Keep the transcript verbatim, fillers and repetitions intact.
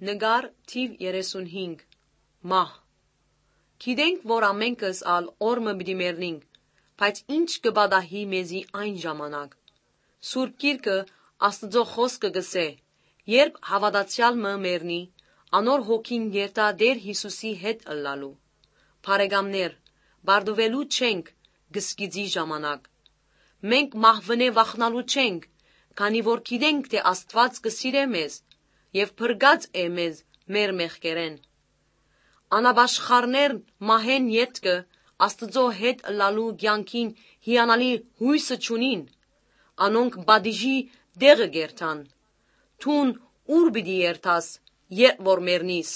Նկար թիւ երեսունհինգ։ Մահ։ Գիտենք, որ ամենքս ալ օր մը պիտի մեռնինք, բայց ի՞նչ կը պատահի մեզի այն ժամանակ։ Սուրբ Գիրքը, Աստուծոյ խօսքը կ'ըսէ. «Երբ հաւատացեալ մը մեռնի, անոր հոգին երթայ Տէր Յիսուսի հետ ըլլալու»։ Բարեկամներ, պարտուելու չենք կսկիծի ժամանակ։ Մենք մահուընէ վախնալու չենք, քանի որ գիտենք թէ Աստուած կը սիրէ մեզ եւ փրկած է մեզ մեր մեղքերէն։ Անապաշխարներ մահէն ետքը Աստուծոյ հետ ըլլալու կեանքին հիանալի յոյսը չունին։ Անոնք պատիժի տեղը կ'երթան։ Դուն ո՞ւր պիտի երթաս, երբ որ մեռնիս։